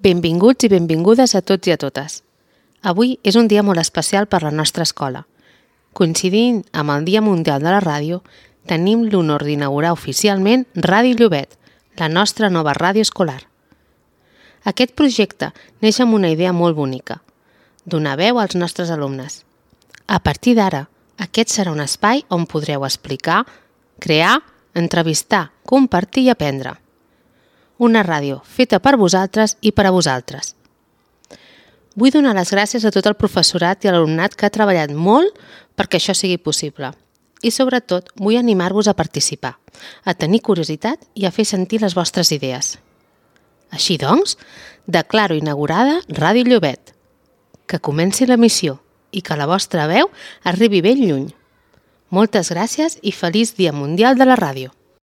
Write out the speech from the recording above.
Benvinguts i benvingudes a tots i a totes. Avui és un dia molt especial per la nostra escola. Coincidint amb el Dia Mundial de la Ràdio, tenim l'honor d'inaugurar oficialment Ràdio Llobet, la nostra nova ràdio escolar. Aquest projecte neix amb una idea molt bonica, donar veu als nostres alumnes. A partir d'ara, aquest serà un espai on podreu explicar, crear, entrevistar, compartir i aprendre. Una ràdio feta per vosaltres i per a vosaltres. Vull donar les gràcies a tot el professorat i a l'alumnat que ha treballat molt perquè això sigui possible. I sobretot vull animar-vos a participar, a tenir curiositat i a fer sentir les vostres idees. Així doncs, declaro inaugurada Ràdio Llobet. Que comenci l'emissió i que la vostra veu arribi ben lluny. Moltes gràcies i feliç Dia Mundial de la Ràdio!